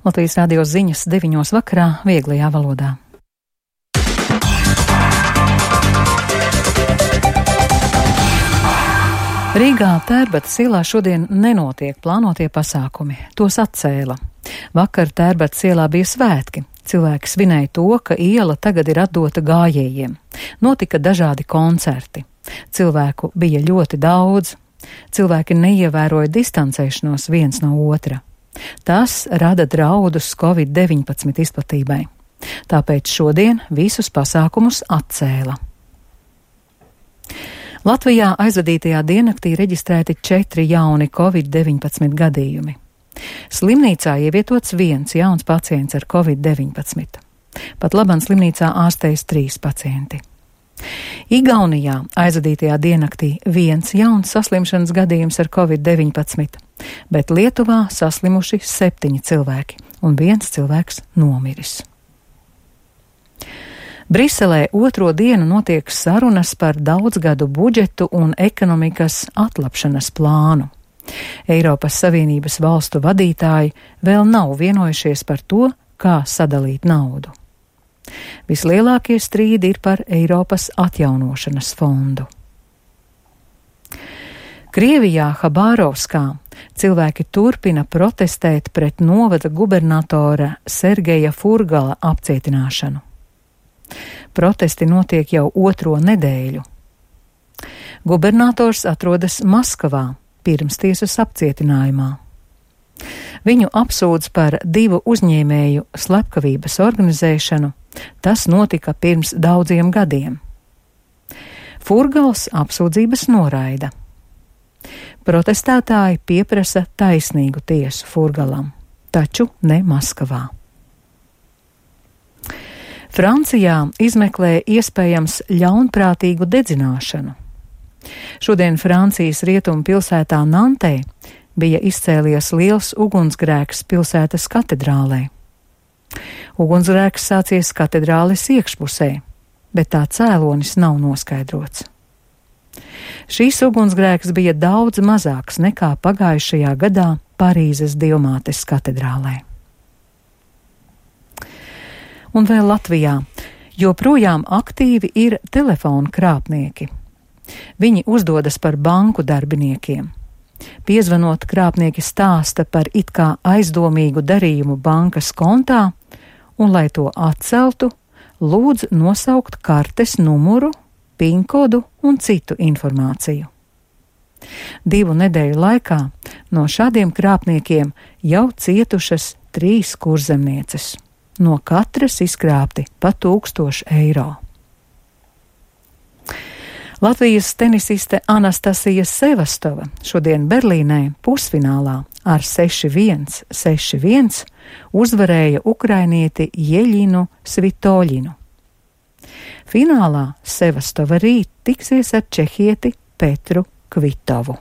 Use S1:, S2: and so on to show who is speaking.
S1: Latvijas radio ziņas 9 vakarā vieglajā valodā. Rīgā Tērbatas ielā šodien nenotiek plānotie pasākumi. Tos atcēla. Vakar Tērbatas ielā bija svētki. Cilvēki svinēja to, ka iela tagad ir atdota gājējiem. Notika dažādi koncerti. Cilvēku bija ļoti daudz. Cilvēki neievēroja distancēšanos viens no otra. Tas rada draudus Covid-19 izplatībai. Tāpēc šodien visus pasākumus atcēla. Latvijā aizvadītajā diennaktī reģistrēti 4 jauni Covid-19 gadījumi. Slimnīcā ievietots 1 jauns pacients ar Covid-19. Pat labam slimnīcā ārstējas 3 pacienti. Igaunijā aizvadītajā diennaktī 1 jauns saslimšanas gadījums ar Covid-19, bet Lietuvā saslimuši 7 cilvēki un 1 cilvēks nomiris. Briselē 2. dienu notiek sarunas par daudzgadu budžetu un ekonomikas atlapšanas plānu. Eiropas Savienības valstu vadītāji vēl nav vienojušies par to, kā sadalīt naudu. Vislielākie strīdi ir par Eiropas atjaunošanas fondu. Krievijā Habārovskā cilvēki turpina protestēt pret novada gubernatora Sergeja Furgala apcietināšanu. Protesti notiek jau 2. nedēļu. Gubernators atrodas Maskavā pirmstiesas apcietinājumā. Viņu apsūdz par 2 uzņēmēju slepkavības organizēšanu. Tas notika pirms daudziem gadiem. Furgals apsūdzības noraida. Protestētāji pieprasa taisnīgu tiesu Furgalam, taču ne Maskavā. Francijā izmeklē iespējams ļaunprātīgu dedzināšanu. Šodien Francijas rietumu pilsētā Nantē bija izcēlies liels ugunsgrēks pilsētas katedrālē. Ugunsgrēks sācies katedrāles iekšpusē, bet tā cēlonis nav noskaidrots. Šīs ugunsgrēks bija daudz mazāks nekā pagājušajā gadā Parīzes Dievmātes katedrālē. Un vēl Latvijā joprojām aktīvi ir telefonu krāpnieki. Viņi uzdodas par banku darbiniekiem. Piezvanot, krāpnieki stāsta par it kā aizdomīgu darījumu bankas kontā, un, lai to atceltu, lūdz nosaukt kartes numuru, pinkodu un citu informāciju. 2 nedēļu laikā no šādiem krāpniekiem jau cietušas 3 kurzemnieces. No katras izkrāpti pa 1000 eiro. Latvijas tenisiste Anastasija Sevastova šodien Berlīnē pusfinālā ar 6-1, 6-1 uzvarēja ukrainieti Jeļinu Svitoļinu. Finālā Sevastova rīt tiksies ar čehieti Petru Kvitovu.